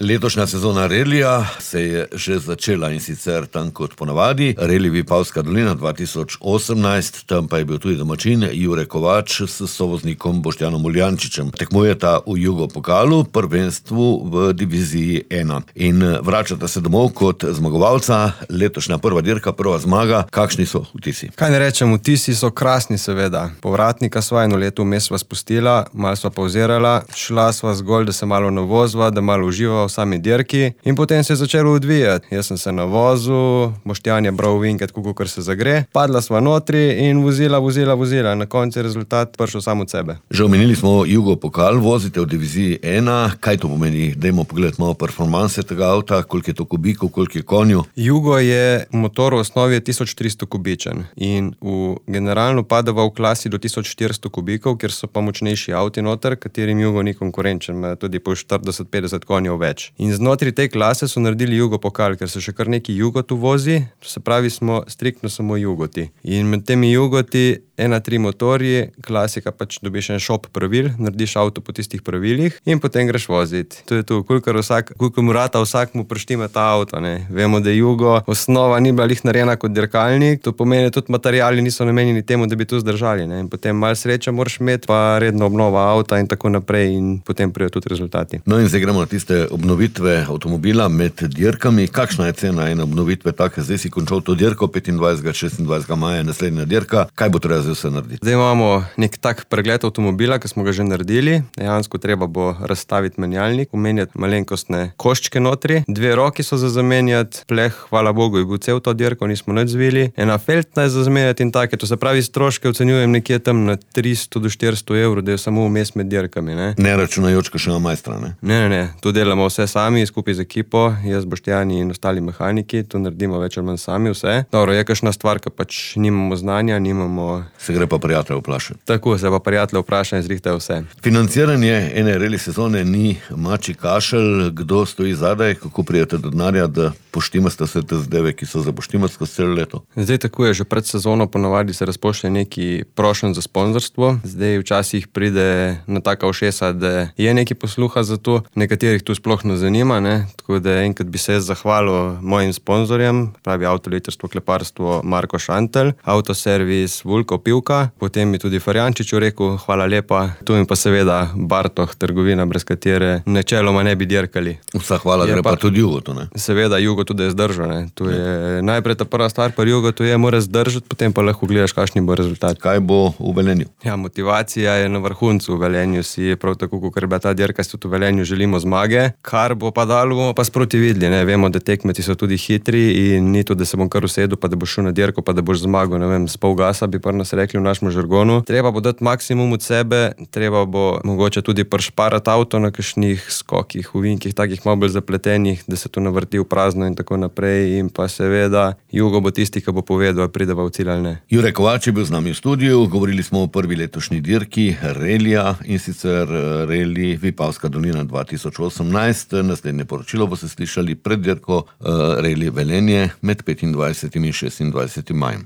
Letošnja sezona relija se je že začela in sicer tam kot ponavadi. Reli Vipavska dolina 2018, tam pa je bil tudi domačin Jure Kovač s sovoznikom Boštjanom Uljančičem. Tekmujeta v Jugo pokalu, prvenstvu v diviziji 1. In vračata se domov kot zmagovalca. Letošnja prva dirka, prva zmaga. Kakšni so vtisi? Kaj ne rečem, vtisi so krasni seveda. Povratnika sva eno leto vmes sva spustila, malo sva pauzirala, šla sva zgolj, da se malo navozva, da malo uživa v sami dirki in potem se je začelo odvijati. Jaz sem se navozil, Boštjan je bral vinket, kakor se zagre, padla sva notri in vozila. Na koncu je rezultat prišel sam od sebe. Že omenili smo Jugo pokal, vozite v diviziji 1. Kaj to pomeni? Dajmo pogledati malo performanse tega avta, koliko je to kubikov, koliko je konju. Jugo je motor v osnovi 1300 kubičen in generalno padava v klasi do 1400 kubikov, kjer so pa močnejši avti noter, katerim Jugo ni konkurenčen, ima tudi po 40-50 konjev več. In znotraj te klase so naredili Jugo pokal, ker se še kar neki Jugot uvozi, to se pravi, smo striktno samo Jugoti. In med temi Jugoti 1.3 motorji, klasika pač dobiš en šop pravil, narediš avto po tistih pravilih in potem greš voziti. To je to, kolikor mu rata vsak mu preštime ta avto, ne. Vemo, da Jugo osnova ni bila lih narejena kot dirkalnik, to pomeni, tudi materiali niso namenjeni temu, da bi to zdržali, ne. In potem malo sreča moraš imeti, pa redno obnova avta in tako naprej in potem prijo tudi rezultati. No in zdaj gremo na tiste obnovitve avtomobila med dirkami. Kakšna je cena ene obnovitve take? Zdaj si končal to dirko, 25. 26. maja naslednja dirka. Kaj bo treba zdaj vse narediti? Zdaj imamo nek tak pregled avtomobila, ki smo ga že naredili. Dejansko treba bo razstaviti menjalnik, umenjati malenkostne koščke notri. 2 roki so za zamenjati, pleh, hvala Bogu, je bil cel to dirko, nismo nič zvili. Ena feltna je za zamenjati in take. To se pravi, stroške ocenjujem nekje tam na 300 do 400 evrov, da je samo vmes med dirkami, ne. Ne računajoč kakšnega majstra, ne? Ne. Tu delamo vse sami, skupaj z ekipo, jaz, Boštjani in ostali mehaniki, tu naredimo več ali manj sami vse. Dobro, je kakšna stvar, ki pač nimamo znanja, Se gre pa prijatelje vprašati. Tako, se pa prijatelje vprašati in zrihtajo vse. Financiranje ene reli sezone ni mačji kašelj. Kdo stoji zadaj, kako prijete do denarja, da poštimate se te zadeve, ki so za poštimati skozi celo leto? Zdaj tako je, že pred sezono ponavadi se razpošlje neki prošenj za sponzorstvo. Zdaj včasih pride na taka ušesa, da je neki posluha za to, nekaterih tu sploh ne zanima, ne. Tako da enkrat bi se jaz zahvalil mojim sponzorjem, pravi Avtolitrstvo, kleparstvo Marko Šantelj, Avtoservis Vulko Pivka, potem mi tudi Farjančiču rekel, hvala lepa, tu in pa seveda Bartoh, trgovina, brez katere načeloma ne bi dirkali. Vsa hvala gre pa tudi Jugotu, ne? Seveda Jugo tudi je zdržal, ne. Tu je najprej ta prva stvar pri Jugotu je, mora zdržati, potem pa lahko gledaš, kakšni bo rezultat. Kaj bo v Velenju? Ja, motivacija je na vrhuncu. V Velenju si prav tako, kot je bila ta dirka, si tudi v Velenju želimo zmage. Kar bo pa dalo, bomo pa sproti videli, ne. Vemo, da tekmeci so tudi hitri in ni to, da se bom kar usedel, pa da boš šel na dirko, pa da boš zmagal, ne vem, s pol gasa, bi pa nas rekli v našem žargonu. Treba bo dati maksimum od sebe, treba bo mogoče tudi prešparati avto na kakšnih skokih, ovinkih, takih malo bolj zapletenih, da se to navrti v prazno in tako naprej. In pa seveda Jugo bo tisti, ki bo povedal, ali prideva v cilj ali ne. Jure Kovač je bil z nami v studiu, govorili smo o prvi letošnji dirki relija, in sicer reli Vipavska dolina 2018. Naslednje poročilo boste slišali pred dirko reli Velenje med 25. in 26. majem.